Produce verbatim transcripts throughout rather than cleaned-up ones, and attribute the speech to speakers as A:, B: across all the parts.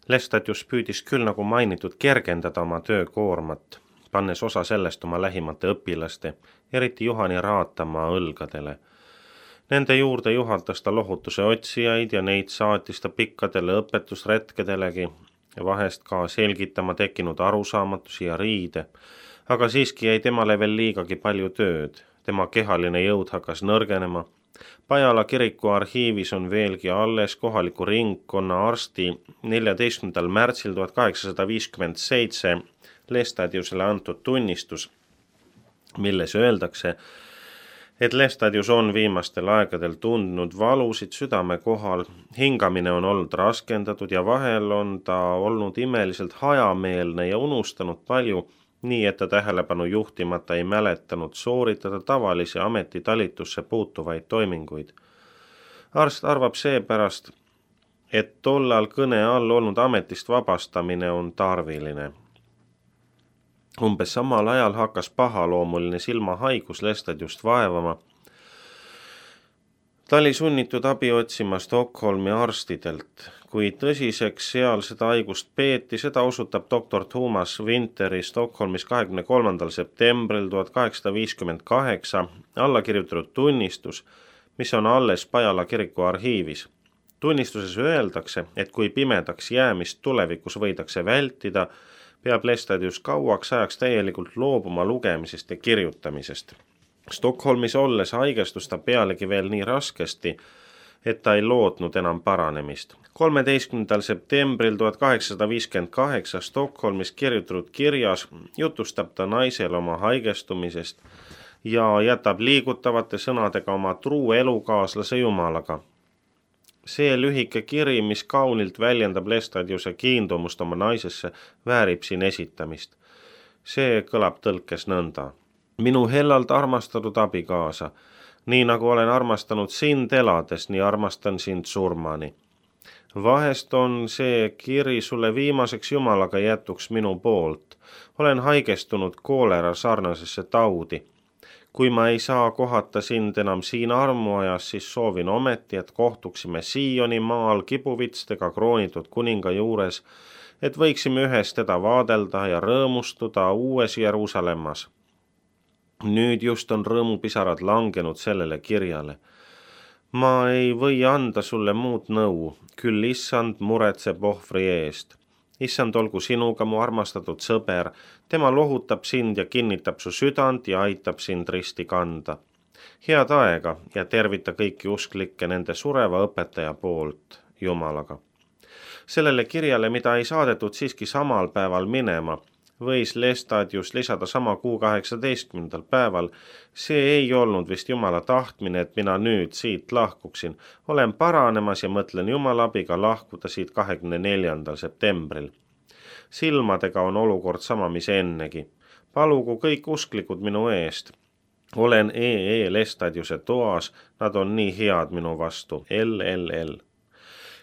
A: Lestadius püüdis küll nagu mainitud kergendada oma töökoormat, pannes osa sellest oma lähimate õpilaste, eriti Juhani Raatamaa õlgadele. Nende juurde juhatas ta lohutuse otsijaid ja neid saatis ta pikkadele õpetusretkedelegi ja vahest ka selgitama tekkinud arusaamatusi ja riide, aga siiski jäi temale veel liigagi palju tööd, tema kehaline jõud hakkas nõrgenema. Pajala kiriku arhiivis on veelgi alles kohaliku ringkonna arsti neljateistkümnendal märtsil tuhat kaheksasada viiskümmend seitse Lestadiusele antud tunnistus, milles öeldakse, et Lestadius on viimastel aegadel tundnud valusid südame kohal, hingamine on olnud raskendatud ja vahel on ta olnud imeliselt hajameelne ja unustanud palju, nii et ta tähelepanu juhtimata ei mäletanud sooritada tavalise ametitalitusse puutuvaid toiminguid. Arst arvab seepärast, et tollal kõne all olnud ametist vabastamine on tarviline. Umbes samal ajal hakkas pahaloomuline silmahaigus Lestadiust vaevama. Ta oli sunnitud abi otsima Stockholmi arstidelt. Kui tõsiseks seal seda haigust peeti, seda osutab doktor Thomas Winteri Stockholmis kahekümne kolmandal septembril tuhat kaheksasada viiskümmend kaheksa alla kirjutatud tunnistus, mis on alles Pajala kiriku arhiivis. Tunnistuses öeldakse, et kui pimedaks jäämist tulevikus võidakse vältida, peab Lestadius kauaks ajaks täielikult loobuma lugemisest ja kirjutamisest. Stockholmis olles haigestus ta pealegi veel nii raskesti, et ta ei lootnud enam paranemist. kolmeteistkümnendal septembril tuhat kaheksasada viiskümmend kaheksa Stockholmis kirjutatud kirjas jutustab ta naisele oma haigestumisest ja jätab liigutavate sõnadega oma truu elukaaslase Jumalaga. See lühike kiri, mis kaunilt väljendab Lestadiuse kiindumust oma naisesse, väärib siin esitamist. See kõlab tõlkes nõnda. Minu hellalt armastatud abikaasa, nii nagu olen armastanud sind elades, nii armastan sind surmani. Vahest on see kiri sulle viimaseks Jumalaga jätuks minu poolt. Olen haigestunud koolera sarnasesse taudi. Kui ma ei saa kohata sind enam siin armuajas, siis soovin ometi, et kohtuksime Sioni maal kibuvitstega kroonitud kuninga juures, et võiksime ühes teda vaadelda ja rõõmustuda uues Jeruusalemmas. Nüüd just on rõõmupisarad langenud sellele kirjale. Ma ei või anda sulle muud nõu, küll issand muretseb ohvri eest. Issand olgu sinuga, mu armastatud sõber, tema lohutab sind ja kinnitab su südant ja aitab sind risti kanda. Head aega ja tervita kõiki usklikke nende sureva õpetaja poolt, Jumalaga. Sellele kirjale, mida ei saadetud siiski samal päeval minema, võis Lestadius lisada sama kuu kaheksateistkümnendal päeval. See ei olnud vist Jumala tahtmine, et mina nüüd siit lahkuksin. Olen paranemas ja mõtlen Jumala abiga lahkuda siit kahekümne neljandal septembril. Silmadega on olukord sama, mis ennegi. Palugu kõik usklikud minu eest. Olen E E Lestadiuse toas, nad on nii head minu vastu. L L L.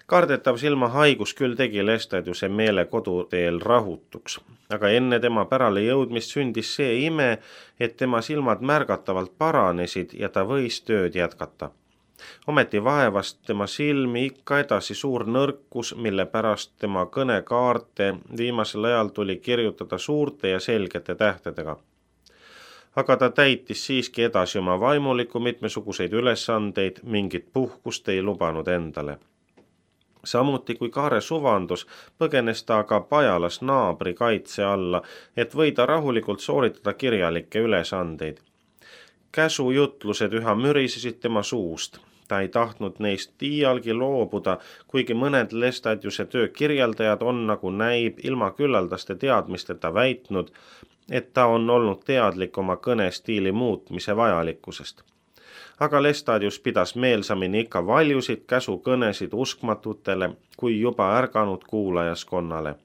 A: Kardetav silmahaigus küll tegi Lestadiuse meele koduteel rahutuks, aga enne tema pärale jõudmist sündis see ime, et tema silmad märgatavalt paranesid ja ta võis tööd jätkata. Ometi vaevast tema silmi ikka edasi suur nõrkus, mille pärast tema kõnekaarte viimasel ajal tuli kirjutada suurte ja selgete tähtedega. Aga ta täitis siiski edasi oma vaimuliku mitmesuguseid ülesandeid, mingit puhkust ei lubanud endale. Samuti kui Kaare suvandus, põgenes ta aga Pajalas naabri kaitse alla, et võida rahulikult sooritada kirjalikke ülesandeid. Käsujutlused üha mürisesid tema suust. Ta ei tahtnud neist iialgi loobuda, kuigi mõned Lestadiuse töö kirjeldajad on, nagu näib, ilma küllaldaste teadmisteta väitnud, et ta on olnud teadlik oma kõnestiili muutmise vajalikkusest. Aga Lestadius pidas meelsamini ikka valjusid käsukõnesid uskmatutele kui juba ärganud kuulajaskonnale.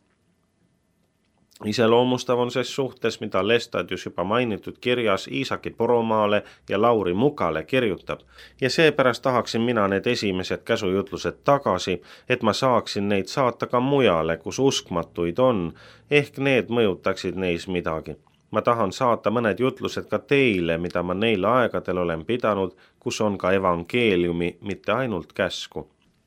A: Iseloomustav on ses suhtes, mida Lestadius juba mainitud kirjas Iisaki Poromaale ja Lauri Mukale kirjutab, ja seepärast tahaksin mina need esimesed käsujutlused tagasi, et ma saaksin neid saata ka mujale, kus uskmatuid on, ehk need mõjutaksid neis midagi. Ma tahan saata mõned jutlused ka teile, mida ma neil aegadel olen pidanud, kus on ka evangeeliumi, mitte ainult käsku.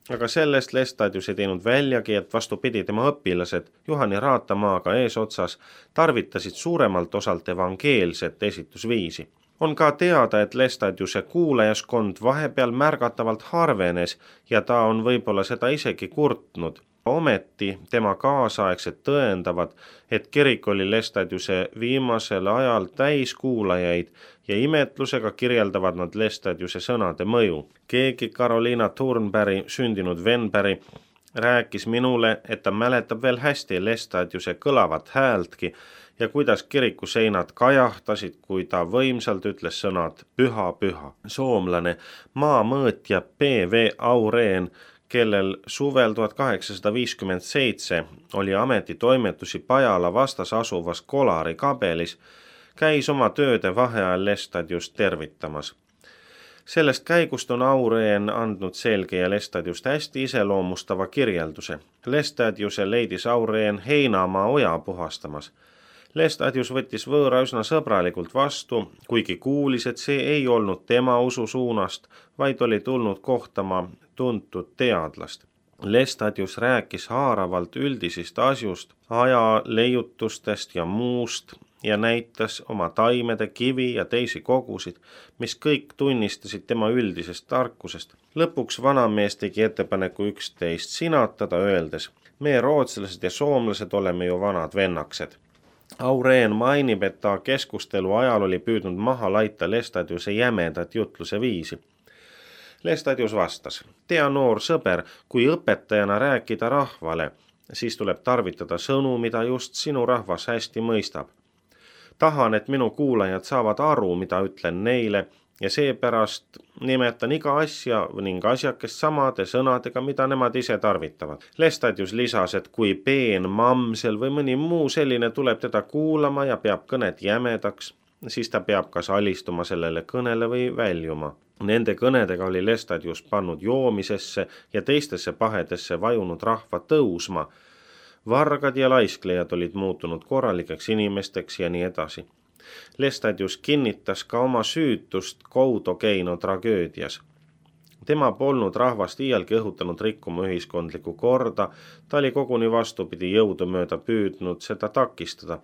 A: aga sellest Lestadius ei teinud väljagi, et vastupidi tema õpilased Juhani Raatamaaga eesotsas tarvitasid suuremalt osalt evangeelset esitusviisi. On ka teada, et Lestadiuse kuulajaskond vahepeal märgatavalt harvenes ja ta on võib-olla seda isegi kurtnud. Ometi tema kaasaegsed tõendavad, et kirik oli Lestadiuse viimasel ajal täis kuulajaid ja imetlusega kirjeldavad nad Lestadiuse sõnade mõju. Keegi Carolina Thornberry, sündinud Venberry, rääkis minule, et ta mäletab veel hästi Lestadiuse kõlavat häältki ja kuidas kiriku seinad kajahtasid, kui ta võimsalt ütles sõnad püha, püha. Soomlane maamõõtja P V Aureen, kellel suvel tuhat kaheksasada viiskümmend seitse oli ametitoimetusi Pajala vastas asuvas Kolari kabelis, käis oma tööde vaheajal Lestadiust tervitamas. Sellest käigust on Aureen andnud selge ja Lestadiust hästi iseloomustava kirjelduse. Lestadiuse leidis Aureen Heinamaa oja puhastamas. Lestadius võttis võõra üsna sõbralikult vastu, kuigi kuulis, et see ei olnud tema usu suunast, vaid oli tulnud kohtama tuntud teadlast. Lestadius rääkis haaravalt üldisist asjust, aja leiutustest ja muust ja näitas oma taimede, kivi ja teisi kogusid, mis kõik tunnistasid tema üldisest tarkusest. Lõpuks vanamees tegi ettepaneku üksteist sinatada, öeldes, me rootslased ja soomlased oleme ju vanad vennaksed. Aureen mainib, et ta keskustelu ajal oli püüdnud maha laita Lestadiuse jämedat jutluse viisi. Lestadius vastas, tea noor sõber, kui õpetajana rääkida rahvale, siis tuleb tarvitada sõnu, mida just sinu rahvas hästi mõistab. Tahan, et minu kuulajad saavad aru, mida ütlen neile ja seepärast nimetan iga asja ning asjakest samade sõnadega, mida nemad ise tarvitavad. Lestadius lisas, et kui peen, mamsel või mõni muu selline tuleb teda kuulama ja peab kõnet jämedaks, siis ta peab kas alistuma sellele kõnele või väljuma. Nende kõnedega oli Lestadius pannud joomisesse ja teistesse pahedesse vajunud rahva tõusma. Vargad ja laisklejad olid muutunud korralikeks inimesteks ja nii edasi. Lestadius kinnitas ka oma süütust Koutokeino tragöödias. Tema polnud rahvast iialgi õhutanud rikkuma ühiskondlikku korda, ta oli koguni vastupidi jõudumööda püüdnud seda takistada.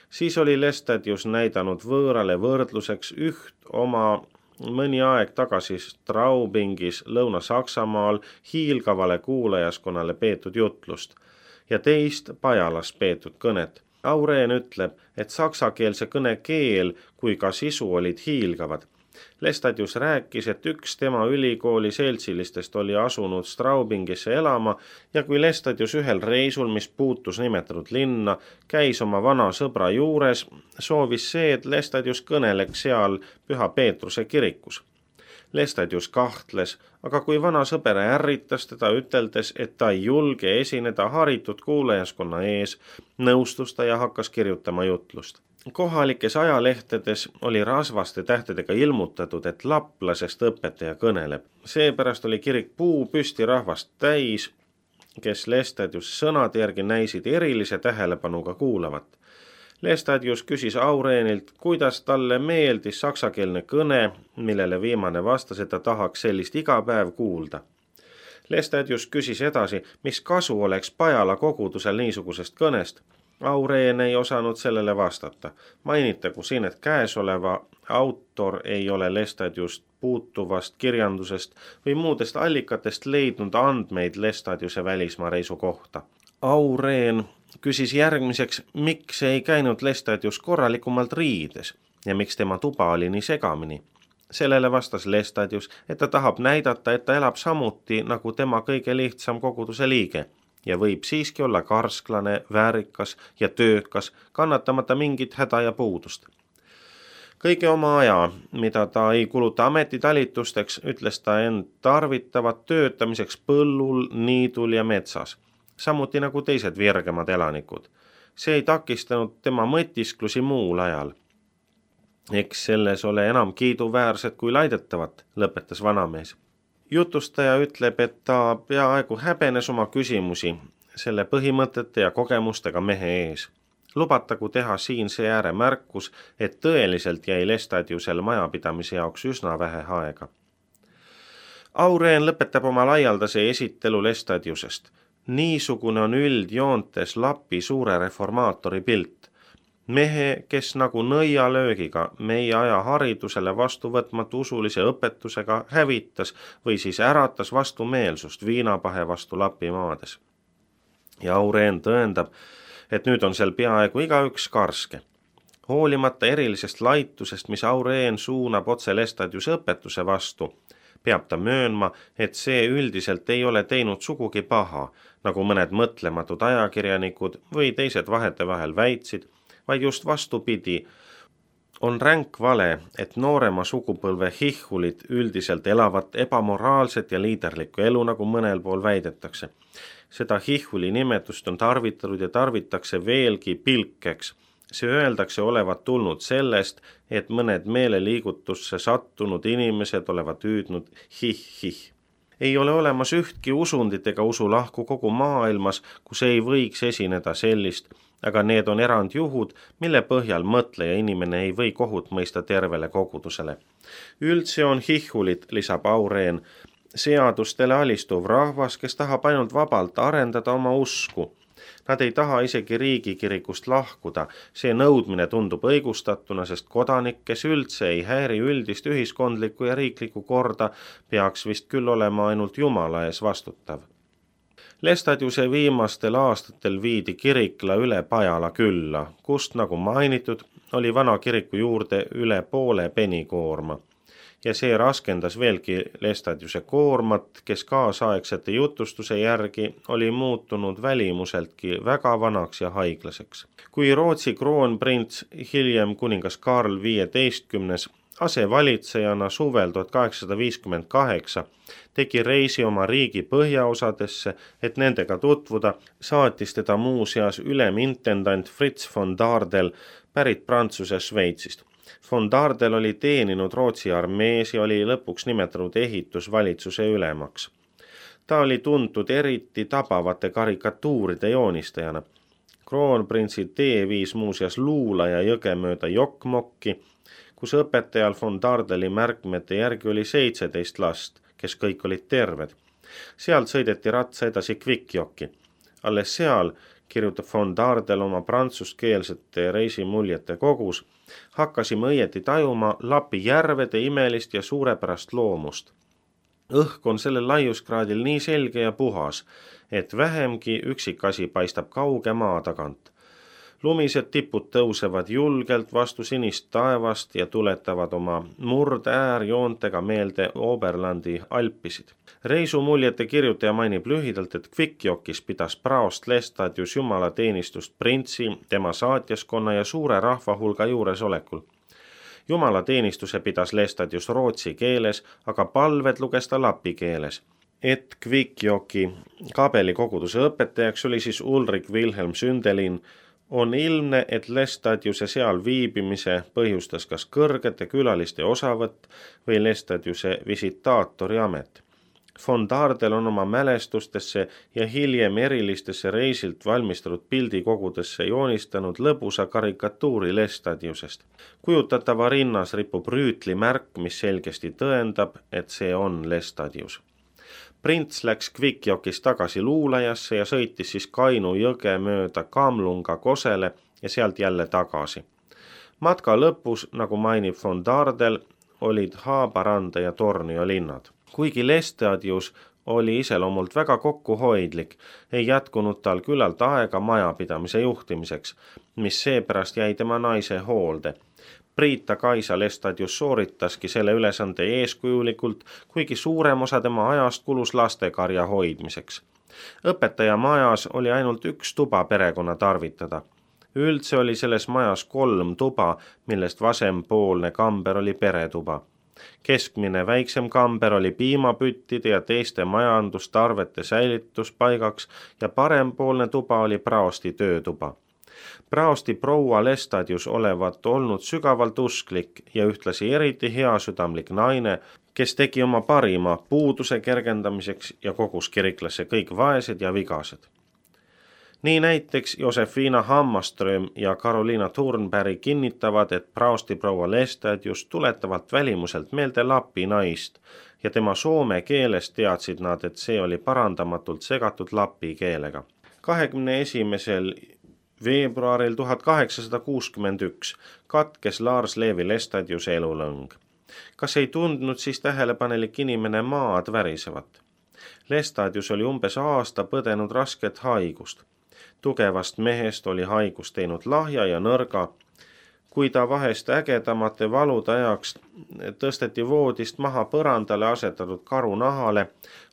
A: Siis oli Lestadius näidanud võõrale võrdluseks üht oma mõni aeg tagasi Straubingis Lõuna-Saksamaal hiilgavale kuulajaskonnale peetud jutlust ja teist Pajalas peetud kõnet. Aureen ütleb, et saksakeelse kõne keel kui ka sisu olid hiilgavad. Lestadius rääkis, et üks tema ülikooli seltsilistest oli asunud Straubingisse elama ja kui Lestadius ühel reisul, mis puutus nimetatud linna, käis oma vana sõbra juures, soovis see, et Lestadius kõneleks seal Püha Peetruse kirikus. Lestadius kahtles, aga kui vana sõber ärritas teda üteldes, et ta ei julge esineda haritud kuulajaskonna ees, nõustus ta ja hakkas kirjutama jutlust. Kohalikes ajalehtedes oli rasvaste tähtedega ilmutatud, et laplasest õpetaja kõneleb. Seepärast oli kirik puu püsti rahvast täis, kes Lestadius sõnade järgi näisid erilise tähelepanuga kuulavat. Lestadius küsis Aureenilt, kuidas talle meeldis saksakeelne kõne, millele viimane vastas, et ta tahaks sellist iga päev kuulda. Lestadius küsis edasi, mis kasu oleks Pajala kogudusel niisugusest kõnest. Aureen ei osanud sellele vastata. Mainitagu siin, et käesoleva autor ei ole Lestadiust puutuvast kirjandusest või muudest allikatest leidnud andmeid Lestadiuse välismaa reisu kohta. Aureen küsis järgmiseks, miks ei käinud Lestadius korralikumalt riides ja miks tema tuba oli nii segamini. Sellele vastas Lestadius, et ta tahab näidata, et ta elab samuti nagu tema kõige lihtsam koguduse liige ja võib siiski olla karsklane, väärikas ja töökas, kannatamata mingit häda ja puudust. Kõige oma aja, mida ta ei kuluta ametitalitusteks, ütles ta end tarvitavat töötamiseks põllul, niidul ja metsas, samuti nagu teised virgemad elanikud. See ei takistanud tema mõtisklusi muul ajal. Eks selles ole enam kiiduväärset kui laidetavat, lõpetas vanamees. Jutustaja ütleb, et ta peaaegu häbenes oma küsimusi selle põhimõtete ja kogemustega mehe ees. Lubatagu teha siin see ääremärkus, et tõeliselt jäi Lestadiusel majapidamise jaoks üsna vähe aega. Aureen lõpetab oma laialdase esitelu Lestadiusest. Niisugune on üldjoontes Lapi suure reformaatori pilt. Mehe, kes nagu nõialöögiga meie aja haridusele vastuvõtmatu usulise õpetusega hävitas või siis äratas vastumeelsust viinapahe vastu Lapimaades. Ja Aureen tõendab, et nüüd on seal peaaegu igaüks karske. Hoolimata erilisest laitusest, mis Aureen suunab otse Lestadiuse õpetuse vastu, peab ta möönma, et see üldiselt ei ole teinud sugugi paha, nagu mõned mõtlematud ajakirjanikud või teised vahetevahel väitsid, vaid just vastupidi, on ränk vale, et noorema sugupõlve hihhulid üldiselt elavad ebamoraalset ja liiderlikku elu, nagu mõnel pool väidetakse. Seda hihhuli nimetust on tarvitatud ja tarvitakse veelgi pilkeks. See öeldakse olevat tulnud sellest, et mõned meeleliigutusse sattunud inimesed olevat hüüdnud hih-hih. Ei ole olemas ühtki usundit ega usulahku kogu maailmas, kus ei võiks esineda sellist, aga need on erandjuhud, mille põhjal mõtleja inimene ei või kohut mõista tervele kogudusele. Üldse on hihhulit, lisab Aureen, seadustele alistuv rahvas, kes tahab ainult vabalt arendada oma usku. Nad ei taha isegi riigikirikust lahkuda, see nõudmine tundub õigustatuna, sest kodanik, kes üldse ei häiri üldist ühiskondlikku ja riiklikku korda, peaks vist küll olema ainult Jumala ees vastutav. Lestadiuse viimastel aastatel viidi kirikla üle Pajala külla, kust, nagu mainitud, oli vana kiriku juurde üle poole penikoorma. Ja see raskendas veelgi Lestadiuse koormat, kes kaasaegsete jutustuse järgi oli muutunud välimuseltki väga vanaks ja haiglaseks. Kui Rootsi kroonprints, hiljem kuningas Karl viieteistkümnes, asevalitsejana suvel tuhat kaheksasada viiskümmend kaheksa tegi reisi oma riigi põhjaosadesse, et nendega tutvuda, saatis teda muuseas ülemintendant Fritz von Dardel pärit Prantsuse Šveitsist. Von Dardel oli teeninud Rootsi armees ja oli lõpuks nimetatud ehitusvalitsuse ülemaks. Ta oli tuntud eriti tabavate karikatuuride joonistajana. Kroonprintsi tee viis muuseas Luulaja jõge mööda Jokkmokki, kus õpetajal von Dardeli märkmete järgi oli seitseteist last, kes kõik olid terved. Sealt sõideti ratsa edasi Kvikjokki. Alles seal, kirjutab von Dardel oma prantsuskeelsete reisimuljete kogus, hakkasime õieti tajuma Lapi järvede imelist ja suurepärast loomust. Õhk on sellel laiuskraadil nii selge ja puhas, et vähemgi üksikasi paistab kauge maa tagant. Lumised tipud tõusevad julgelt vastu sinist taevast ja tuletavad oma murd-äärjoontega meelde Oberlandi alpisid. Reisumuljete kirjutaja mainib lühidalt, et Kvikjokis pidas praost Lestadius jumalateenistust printsi, tema saatjaskonna ja suure rahvahulga juuresolekul. Jumalateenistuse pidas Lestadius rootsi keeles, aga palved luges ta lapi keeles. Et Kvikjoki kabelikoguduse õpetajaks oli siis Ulrik Wilhelm Sündelin, on ilmne, et Lestadiuse seal viibimise põhjustas kas kõrgete külaliste osavõtt või Lestadiuse visitaatori amet. Von Dardel on oma mälestustesse ja hiljem erilistesse reisilt valmistatud pildikogudesse joonistanud lõbusa karikatuuri Lestadiusest. Kujutatava rinnas ripub rüütlimärk, mis selgesti tõendab, et see on Lestadius. Prints läks Kvikjokis tagasi Luulajasse ja sõitis siis Kainu jõge mööda Kamlunga Kosele ja sealt jälle tagasi. Matka lõpus, nagu mainib von Dardel, olid Haaparanda ja Tornio linnad. Kuigi Lestadius oli iseloomult väga kokkuhoidlik, ei jätkunud tal küllalt aega majapidamise juhtimiseks, mis seepärast jäi tema naise hoolde. Priita Kaisa Lestadius sooritaski selle ülesande eeskujulikult, kuigi suurem osa tema ajast kulus lastekarja hoidmiseks. Õpetaja majas oli ainult üks tuba perekonna tarvitada. Üldse oli selles majas kolm tuba, millest vasempoolne kamber oli peretuba. Keskmine väiksem kamber oli piimapüttide ja teiste majandustarvete säilituspaigaks ja parempoolne tuba oli praosti töötuba. Praosti proua Lestadius olevat olnud sügavalt usklik ja ühtlasi eriti heasüdamlik naine, kes tegi oma parima puuduse kergendamiseks ja kogus kiriklasse kõik vaesed ja vigased. Nii näiteks Josefina Hammarström ja Carolina Thornberg kinnitavad, et praustiproua Lestat just tuletavalt välimuselt meelde Lappi naist ja tema soome keelest teadsid nad, et see oli parandamatult segatud lappi keelega. kahekümne esimesel veebruaril tuhat kaheksasada kuuskümmend üks katkes Lars Levi Lestadiuse elulõng. Kas ei tundnud siis tähelepanelik inimene maad värisevat? Lestadius oli umbes aasta põdenud rasket haigust. Tugevast mehest oli haigus teinud lahja ja nõrga. Kui ta vahest ägedamate valude ajaks tõsteti voodist maha põrandale asetatud karunahale,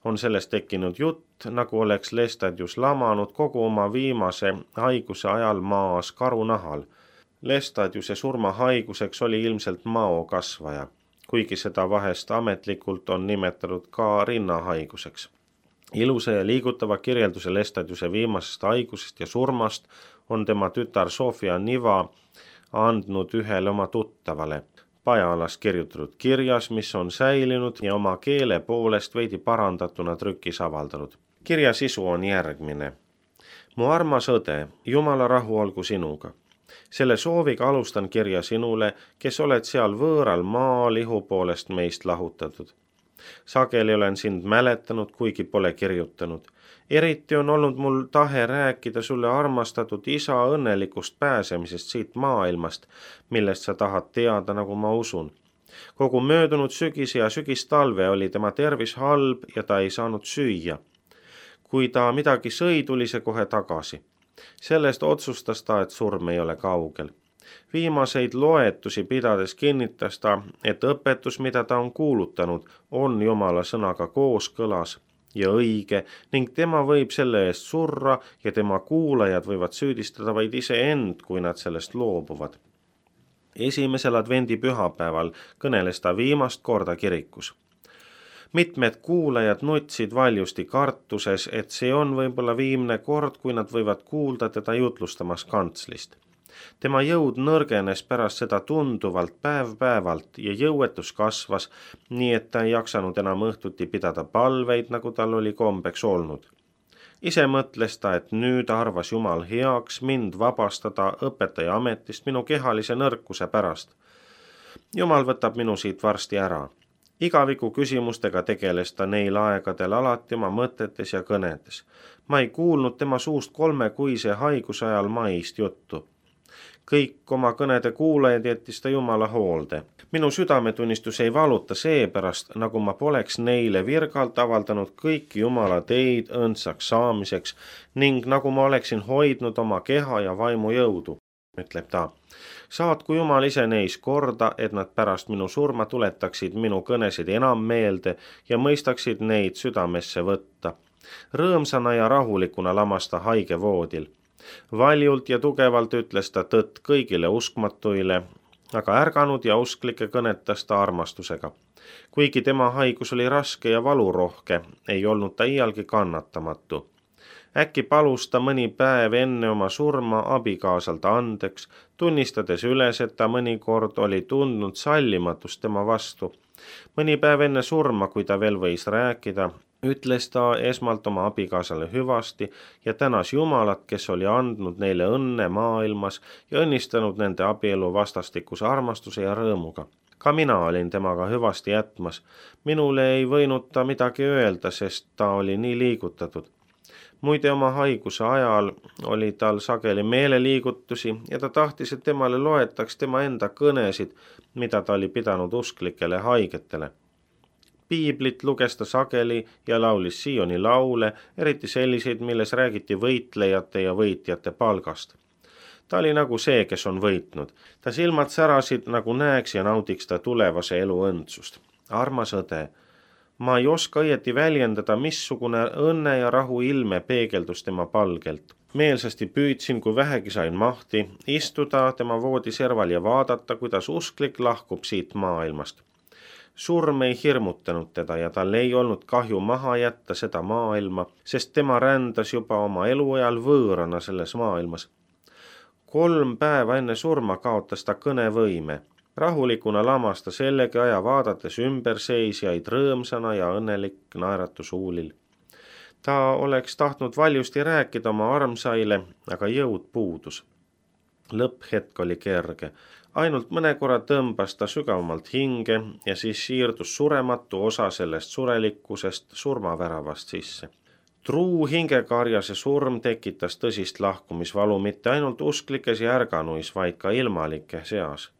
A: on sellest tekkinud jutt, nagu oleks Lestadius lamanud kogu oma viimase haiguse ajal maas karunahal. Lestadiuse surmahaiguseks oli ilmselt maokasvaja, kuigi seda vahest ametlikult on nimetatud ka rinnahaiguseks. Ilusa ja liigutava kirjelduse Lestadiuse viimasest haigusest ja surmast on tema tütar Sofia Niva andnud ühele oma tuttavale. Pajalas kirjutatud kirjas, mis on säilinud ja oma keele poolest veidi parandatuna trükis avaldanud. Kirja sisu on järgmine. Mu armas õde, Jumala rahu olgu sinuga. Selle sooviga alustan kirja sinule, kes oled seal võõral maal ihu poolest meist lahutatud. Sageli olen sind mäletanud, kuigi pole kirjutanud. Eriti on olnud mul tahe rääkida sulle armastatud isa õnnelikust pääsemisest siit maailmast, millest sa tahad teada, nagu ma usun. Kogu möödunud sügis ja sügistalve oli tema tervis halb ja ta ei saanud süüa. Kui ta midagi sõi, tuli see kohe tagasi. Sellest otsustas ta, et surm ei ole kaugel. Viimaseid loetusi pidades kinnitas ta, et õpetus, mida ta on kuulutanud, on Jumala sõnaga kooskõlas ja õige ning tema võib selle eest surra ja tema kuulajad võivad süüdistada vaid iseend, kui nad sellest loobuvad. Esimesel advendi pühapäeval kõneles ta viimast korda kirikus. Mitmed kuulajad nutsid valjusti kartuses, et see on võib-olla viimne kord, kui nad võivad kuulda teda jutlustamas kantslist. Tema jõud nõrgenes pärast seda tunduvalt päev-päevalt ja jõuetus kasvas, nii et ta ei jaksanud enam õhtuti pidada palveid, nagu tal oli kombeks olnud. Ise mõtles ta, et nüüd arvas Jumal heaks mind vabastada õpetaja ametist minu kehalise nõrkuse pärast. Jumal võtab minu siit varsti ära. Igaviku küsimustega tegeles ta neil aegadel alati oma mõtetes ja kõnedes. Ma ei kuulnud tema suust kolmekuise haiguse ajal maist juttu. Kõik oma kõnede kuulajad jättis ta Jumala hoolde. Minu südametunnistus ei valuta seepärast, nagu ma poleks neile virgalt avaldanud kõiki Jumala teid õndsaks saamiseks ning nagu ma oleksin hoidnud oma keha ja vaimu jõudu, ütleb ta. Saatku Jumal ise neis korda, et nad pärast minu surma tuletaksid minu kõnesid enam meelde ja mõistaksid neid südamesse võtta. Rõõmsana ja rahulikuna lamas ta haige voodil. Valjult ja tugevalt ütles ta tõtt kõigile uskmatuile, aga ärganud ja usklikke kõnetas ta armastusega. Kuigi tema haigus oli raske ja valurohke, ei olnud ta iialgi kannatamatu. Äkki palus ta mõni päev enne oma surma abikaasalt andeks, tunnistades üles, et ta mõnikord oli tundnud sallimatust tema vastu. Mõni päev enne surma, kui ta veel võis rääkida, ütles ta esmalt oma abikaasale hüvasti ja tänas Jumalat, kes oli andnud neile õnne maailmas ja õnnistanud nende abielu vastastikuse armastuse ja rõõmuga. Ka mina olin temaga hüvasti jätmas. Minule ei võinud ta midagi öelda, sest ta oli nii liigutatud. Muide oma haiguse ajal oli tal sageli meeleliigutusi ja ta tahtis, et temale loetaks tema enda kõnesid, mida ta oli pidanud usklikele haigetele. Piiblit luges ta sageli ja laulis Sioni laule, eriti selliseid, milles räägiti võitlejate ja võitjate palgast. Ta oli nagu see, kes on võitnud. Ta silmad särasid, nagu näeks ja naudiks ta tulevase elu õndsust. Armas õde, ma ei oska õieti väljendada, missugune õnne ja rahu ilme peegeldus tema palgelt. Meelsasti püüdsin, kui vähegi sain mahti, istuda tema voodiserval ja vaadata, kuidas usklik lahkub siit maailmast. Surm ei hirmutanud teda ja tal ei olnud kahju maha jätta seda maailma, sest tema rändas juba oma eluajal võõrana selles maailmas. Kolm päeva enne surma kaotas ta kõnevõime. Rahulikuna lamas ta sellegi aja vaadates ümberseisjaid rõõmsana ja õnnelik naeratus huulil. Ta oleks tahtnud valjusti rääkida oma armsaile, aga jõud puudus. Lõpphetk oli kerge. Ainult mõne korra tõmbas ta sügavamalt hinge ja siis siirdus surematu osa sellest surelikkusest surmaväravast sisse. Truu hingekarjase surm tekitas tõsist lahkumisvalu mitte ainult usklikes ja ärganuis, vaid ka ilmalike seas.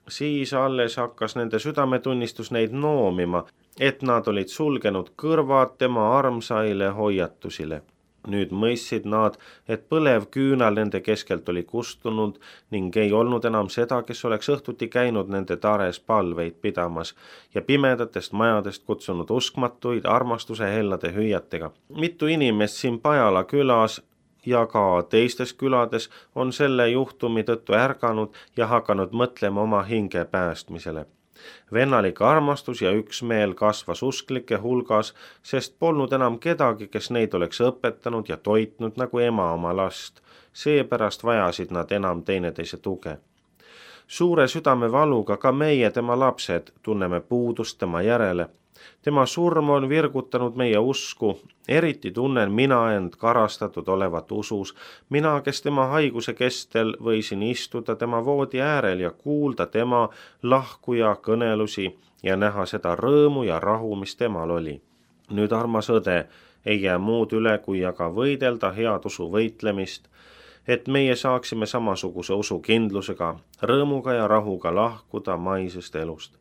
A: Siis alles hakkas nende südametunnistus neid noomima, et nad olid sulgenud kõrvad tema armsaile hoiatusile. Nüüd mõistsid nad, et põlev küünal nende keskelt oli kustunud ning ei olnud enam seda, kes oleks õhtuti käinud nende tares palveid pidamas ja pimedatest majadest kutsunud uskmatuid armastuse hellade hüüatega. Mitu inimest siin Pajala külas ja ka teistes külades on selle juhtumi tõttu ärganud ja hakanud mõtlema oma hinge päästmisele. Vennalik armastus ja üksmeel kasvas usklike hulgas, sest polnud enam kedagi, kes neid oleks õpetanud ja toitnud nagu ema oma last. Seepärast vajasid nad enam teineteise tuge. Suure südamevaluga ka meie, tema lapsed, tunneme puudust tema järele. Tema surm on virgutanud meie usku, eriti tunnen mina end karastatud olevat usus, mina, kes tema haiguse kestel võisin istuda tema voodi äärel ja kuulda tema lahkuja kõnelusi ja näha seda rõõmu ja rahu, mis temal oli. Nüüd, armas õde, ei jää muud üle, kui aga võidelda head usu võitlemist, et meie saaksime samasuguse usukindlusega, rõõmuga ja rahuga lahkuda maisest elust.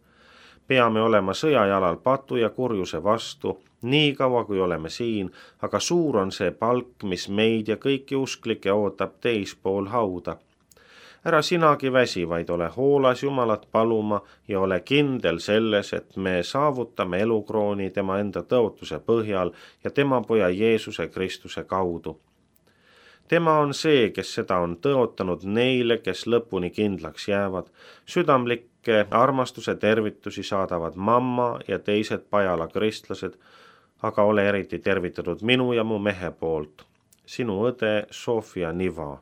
A: Peame olema sõjajalal patu ja kurjuse vastu, nii kaua kui oleme siin, aga suur on see palk, mis meid ja kõiki usklikke ootab teispool hauda. Ära sinagi väsi, vaid ole hoolas Jumalat paluma ja ole kindel selles, et me saavutame elukrooni tema enda tõotuse põhjal ja tema poja Jeesuse Kristuse kaudu. Tema on see, kes seda on tõotanud neile, kes lõpuni kindlaks jäävad. Südamlikke armastuse tervitusi saadavad mamma ja teised Pajala kristlased, aga ole eriti tervitatud minu ja mu mehe poolt. Sinu õde Sofia Niva.